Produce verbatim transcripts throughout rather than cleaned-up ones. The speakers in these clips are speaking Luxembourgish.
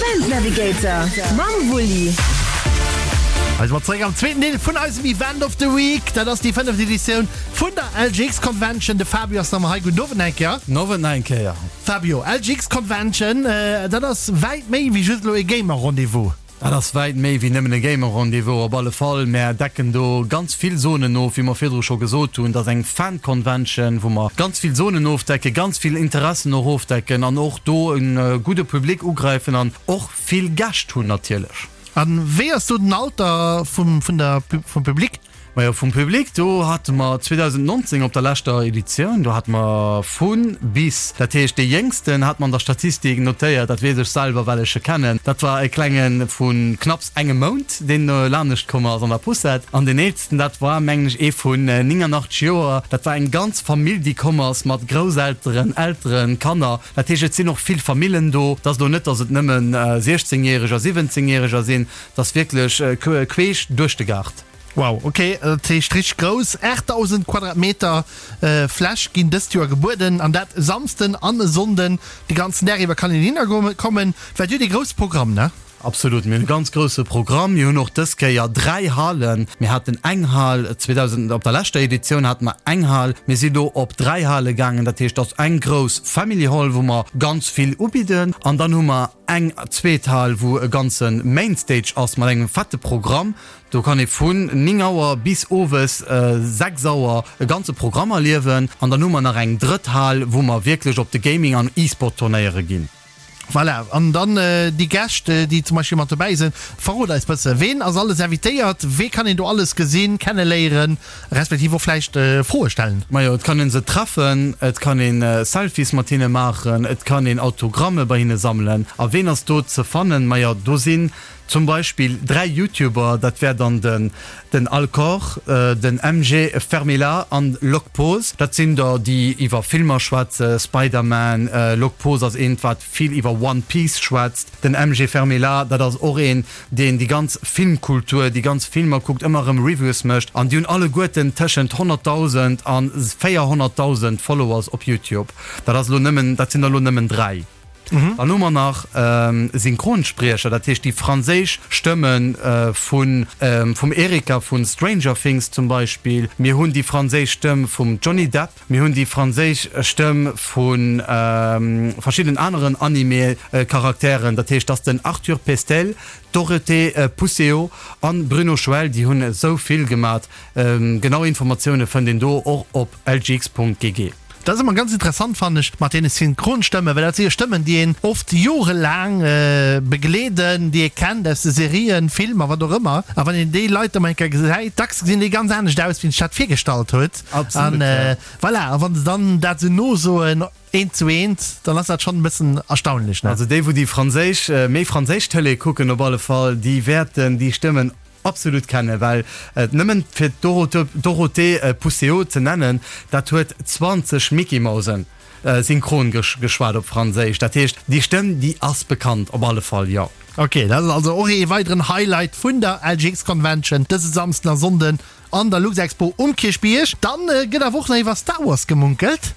Event Navigator mam Wulli. Hei si mer zeréck am zweeten Deel vun eisem Event of the Week. Dat ass déi fënneft Editioun vun der L G X Convention. De Fabio ass nach mol hei. Gudden Owend eng Kéier. Owend nach eng Kéier. Fabio, L G X Convention, dat ass wäit méi wéi just elo e Gamer-Rendez-vous. Dat ass wäit méi wéi nëmmen e Gamer-Rendez-vous op alle Fall. Mär decken do ganz vill Zonen of, wéi mer virdru scho gesot hunn. Dat ass eng Fan-Convention, wou mer ganz vill Zonen ofdecken, ganz vill Interessen och ofdecken an och do e gudde Public ugräifen an och vill Gäscht hunn natierlech. An wéi ass do den Alter vum, vun der, vum Public? Majo, vum Public, do hate mer zweedausendnonzéng op der leschter Editioun, do hate mer vu bis. Dat heescht, dee Jéngsten hat mer an der Statistik notéiert, dat weess ech selwer, well ech e kennen, dat war e Klenge vu knapps engem Mount, deen lanescht komm ass an der Poussette. An deen Eelsten, dat war, mengen ech, ee vun nénganachteg Joer. Dat war eng ganz Famill, déi komm ass mat Grousselteren, Elteren, Kanner. Dat heescht, et sinn och vill Famillen do. Et ass elo net, datt et nëmmen siechzéngjäreger, siwwenzéngjäreger sinn, et ass wierklech queesch duerch de Gaart. Wow, ok, dat heescht richteg grouss. aachtdausend Quadratmeter Fläch ginn dëst Joer gebueden an dat e Samsden an e Sonnden. De ganzen Dag iwwer kann een hinner kommen. Well dir hutt ee grousse Programm, ne? Absolut, mir hunn e ganz grousse Programm. Mir hunn och dës Kéier dräi Halen. Mir haten eng Hal zweedausend, op der leschter Editioun hate mer eng Hal. Mir sinn elo op dräi Hale gaangen. Dat heescht, et ass eng grouss Family Hall, wou mer ganz vill ubidden. An dann hu mer eng zweet Hal, wou e ganze Main Stage ass mat engem fette Programm. Do kann ee vun néng Auer bis owes sechs Auer e ganze Programm erliewen. An dann hu mer nach eng drëtt Hal, wou mer wierklech op de Gaming an E-Sport-Turnéiere ginn. Voilà, an dann déi Gäscht, déi zum Beispill mat dobäi sinn. Verrot eis bësse, ween ass alles invitéiert, wee kann een do alles gesinn, kenneléieren, respektiv och vläicht Froe stellen? Majo, et kann ee se treffen, et kann ee Selfies mat hinne maachen, et kann een Autogramme bei hinne sammelen. A ween ass do ze fannen? Majo, do sinn zum Beispill dräi YouTuber, dat wär dann den den Alcor, den M G Fermila an Locpose. Dat sinn der, déi iwwer Filmer schwätzen, Spider-Man, Locpose ass eent, wat vill iwwer One Piece schwätzt. Den M G Fermila, dat ass och een, deen déi ganz Filmkultur, déi ganz Filmer kuckt, ëmmer erëm Reviews mécht. An déi hunn alleguerten tëschent honnertdausend a véierhonnertdausend Followers op YouTube. Dat ass elo nëmmen, dat sinn der elo nëmmen dräi. Dann hu mer nach Synchronspriecher, dat heescht déi franséisch Stëmme vun vum Erika vu Stranger Things zum Beispill. Mir hunn déi franséisch Stëmm vum Johnny Depp. Mir hunn déi franséisch Stëmm vu verschiddenen aneren Anime-Charakteren, dat heescht dass den Arthur Pestel, Dorothée Pousseau an Bruno Schwell, déi hunn esou vill gemat. Genau Informatioune fënnt een do och op lgx Punkt G G. Dat ass ëmmer ganz interessant, fannen ech, mat deene Synchronstëmmen, well dat si jo Stëmmen, déi een oft jorelaang begleeden, déi ee kennt aus de Serien, Filmer, wat och ëmmer. A wann een déi Leit da mol eng Kéier gesäit, dacks gesinn déi ganz anescht aus, wéi een sech dat virgestallt huet. Absolut, ja. An voilà, a wann se dann dat esou nosoen, eent zu eent, dann ass dat schonn e bëssen erstaunlech, ne? Also déi, wou déi franséisch, méi franséisch Tëlee kucken op alle Fall, déi wäerten déi Stëmmen absolut kennen, well nëmmen fir d'Dorothée Pousseau ze nennen, dat huet zwanzeg Mickey-Mausen synchron geschwat op Franséisch. Dat heescht, déi Stëmm, déi ass bekannt op alle Fall, jo. Ok, dat ass also och ee weideren Highlight vun der L G X Convention dëse Samsden a Sonnden an der Luxexpo um Kierchbierg. Dann gëtt awer och nach iwwer Star Wars gemunkelt.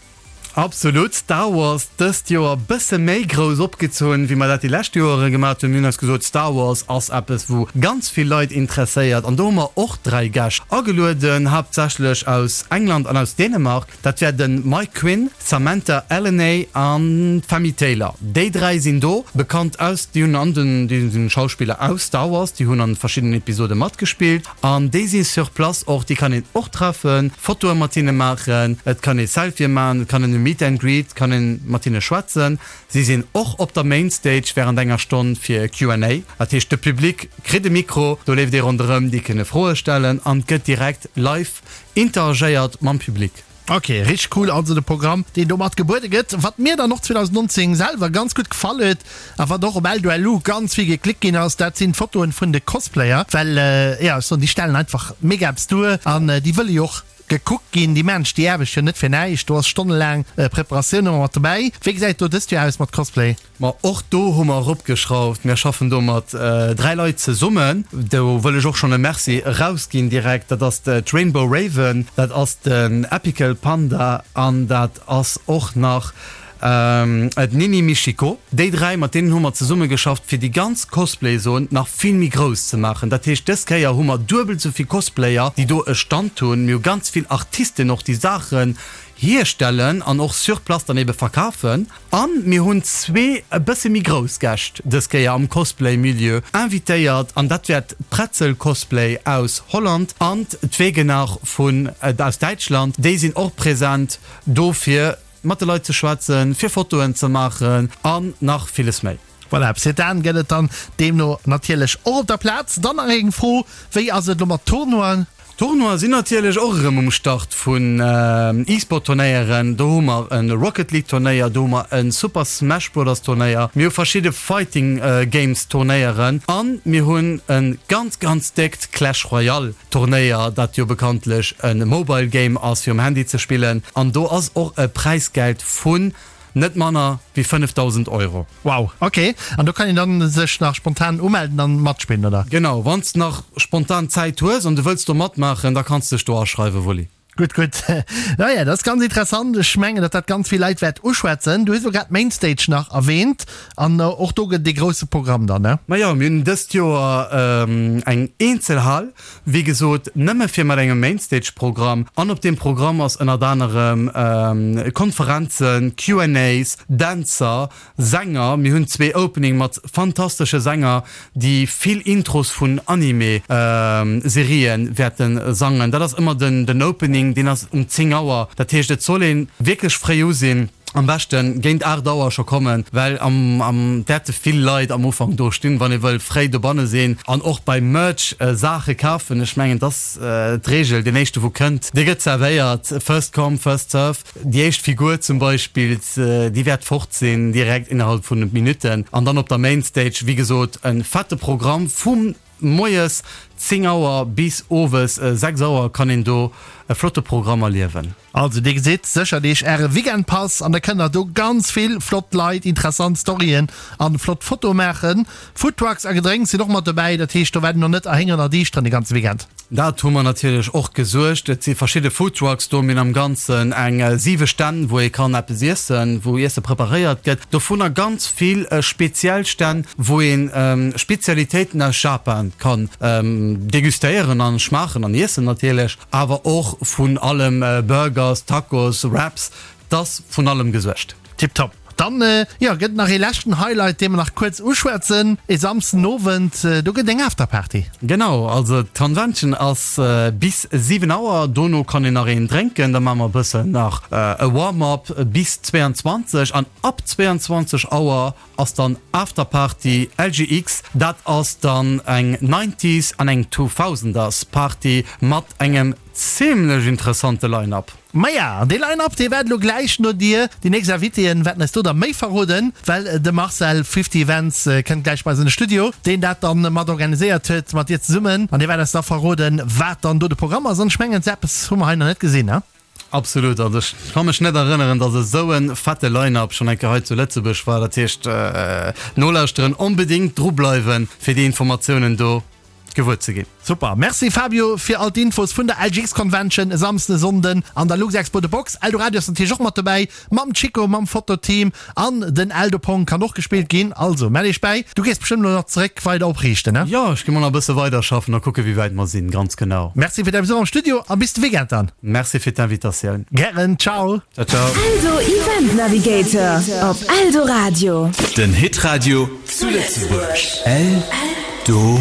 Absolut, Star Wars dëst Joer bësse méi grouss opgezunn, wéi mer dat déi lescht Joere gemat hunn. Mir hunn eis gesot, Star Wars ass eppes, wou ganz vill Leit interesséiert. An do hu mer och dräi Gäscht agelueden, haaptsächlech aus England an aus Dänemark. Dat wär de Mike Quinn, Samantha Elenay an d'Femi Taylor. Déi dräi sinn do, bekannt aus, déi hunn an den, déi sinn Schauspiller aus Star Wars, déi hunn an verschiddenen Episode matgespillt. An déi si sur place och, déi kann een och treffen, Fotoe mat hinne maachen, et kann ee Selfië maachen, et kann een e Meet and Greet, kann een mat hinne schwätzen. Si sinn och op der Main Stage wärend enger Stonn fir Q and A. Dat heescht, de Public kritt e Mikro, do leeft ee ronderëm, déi kënne Froe stellen an et gëtt direkt live interagéiert mam Public. Ok, richteg cool also de Programm, deen domat gebuede gëtt. Wat mir dann och zweedausendnonzéng selwer ganz gutt gefall huet a wat och op L W L U ganz vill geklickt ginn ass, dat sinn d'Fotoen vun de Cosplayer, well jo, ech soen, déi stellen einfach mega eppes duer an déi wëlle jo och gekuckt ginn. Déi maachen sech déi Aarbecht jo net fir näischt, do ass stonnelaang Preparatioun ëmmer mat dobäi. Wéi gesäit et do dëst Joer aus mat Cosplay? Ma och do hu mer eropgeschrauft. Mir schaffen do mat dräi Leit zesummen. Do wëll ech och schonn e Merci erausginn direkt. Dat ass d'Rainbow Raven, dat ass den Epical Panda an dat ass och nach d'Nini Michiko. Déi dräi, mat deenen hu mer zesummegeschafft, fir déi ganz Cosplay-Zon nach vill méi grouss ze maachen. Dat heescht, dës Kéier hu mer duebel esou vill Cosplayer, déi do e Stand hunn. Mir hu ganz vill Artisten och, déi Saachen hierstellen an och sur place dann ebe verkafen. A mir hunn zwee e bësse méi grouss Gäscht dës Kéier am Cosplay-Milieu invitéiert an dat wäert d'Pretzel Cosplay aus Holland an d'Wegenach vun aus Däitschland. Déi sinn och present do fir mat de Leit ze schwätzen, fir Fotoen ze maachen an nach villes méi. Voilà, Sedan gëtt et dann deemno natierlech och op der Plaz. Dann nach eng Fro, Wéi ass et elo mat Tournoien? Tournoie sinn natierlech och erëm um Start vun E-Sport Turnéieren. Do hu mer e Rocket League Turnéier, do hu mer e Super Smash Brothers Turnéier, mir hu verschidde Fighting Games Turnéieren a mir hunn e ganz ganz déckt Clash Royale Turnéier, dat jo bekanntlech e Mobile Game ass fir um Handy ze spillen an do ass och e Präisgeld vun Net manner wéi fënnefdausend Euro. Wow, ok. An do kann een dann sech nach spontan umelden an matspillen, oder? Genau, wanns de nach spontan Zäit hues an du wëlls do matmaachen, da kanns de dech do aschreiwen, Wulli. Gutt, gutt. Naja, dat ass ganz interessant. Ech mengen, datt dat ganz vill Leit wäert uschwätzen. Du hues elo grad d'Mainstage nach erwähnt an och do gëtt et ee grousse Programm dann, ne? Majo, mir hunn dëst Joer eng eenzel Hal, wéi gesot, nëmme fir mat engem Mainstage-Programm. An op deem Programm ass ënnert anerem Konferenzen, Q and A's, Dänzer, Sänger. Mir hunn zwee Opening mat fantastesche Sänger, déi vill Intros vun Anime-Serië wäerte sangen. Dat ass ëmmer den Opening, deen ass um zéng Auer. Dat heescht, et soll ee wierklech fréi u sinn. Am beschten géint aacht Auer scho kommen, well am am wäerte vill Leit am Ufank do stinn, wann ee wëll fréi dobanne sinn an och beim Merch Saache kafen. Ech mengen, et ass d'Reegel, deen éischte wou kënnt, dee gëtt zerwéiert, first come, first serve. Déi éischt Figur zum Beispill, déi wäert fort sinn direkt innerhalb vun Minutten. An dann op der Mainstage, wéi gesot, e fette Programm vum moies zéng Auer bis owes sechs Auer kann een do e flotte Programm erliewen. Also dir gesitt, séchert iech äre Weekendpass an da kënnt der do ganz vill flott Leit, interessant Storyen an flott Fotoe maachen. Foodtrucks a Gedrénks sinn och mat dobäi, dat heescht do wäert een och net erhéngeren a diischteren de ganze Weekend. Dat hu mer natierlech och gesuergt. Et si verschidde Foodtrucks do. Mir hunn am Ganzen eng siwe Stänn, wou ee kann eppes iessen, wou Iesse preparéiert gëtt. Dovunner ganz vill speziell Stänn, wou ee Spezialitéiten aus Japan kann degustéieren an schmaachen an iessen natierlech. Awer och vun allem, Burgers, Tacos, Wraps, 't ass vun allem gesuergt. Tiptop. Dann, jo, gëtt et nach ee leschten Highlight, dee mer nach kuerz uschwätzen. E Samsden Owend, do gëtt et eng Afterparty. Genau, also d'Convention ass bis siwen Auer, dono kann een nach een drénken, da maache mer e bëssen nach e Warm-up bis zwéianzwanzeg an ab zwéianzwanzeg Auer ass dann Afterparty L G X. Dat ass dann eng Nineties an eng Two-Thousanders Party mat engem zimlech interessante Line-Up. Maja, an dee Line-Up, dee waart elo gläich no dir. Déi nächst Invitéen wäerten eis do da méi verroden, well de Marcel, Fifty Events, kënnt gläich bei eis an de Studio, deen dat dann mat organiséiert huet, mat dir zesummen. An dee wäert eis da verroden, wat dann do de Programm ass. An ech mengen, esou eppes hu mer hei nach net gesinn, ne? Absolut, also ech ka mech net erënneren, dass esou e fette Line-Up schonn eng Kéier hei zu Lëtzebuerg war. Dat heescht, nolauschteren, onbedéngt drubleiwen, fir déi Informatiounen do gewuer ze ginn. Super, merci Fabio fir all d'Infos vun der L G X Convention e Samsden, e Sonnden an der Luxexpo The Box. Eldoradio ass natierlech och mat dobäi mam Chico, mam Fototeam an den Eldopong kann och gespillt ginn. Also mell iech bäi. Du gees bestëmmt elo nach zeréck weider opriichten, ne? Jo, ech gi mol nach e bësse weider schaffen a kucke wéi wäit mer sinn, ganz genau. Merci fir däi Besuch am Studio a bis de Weekend dann. Merci fir d'Invitatioun. Gären, ciao. Ciao ciao. Eldo Event Navigator op Eldoradio. Den Hitradio zu Lëtzebuerg. Eldoradio.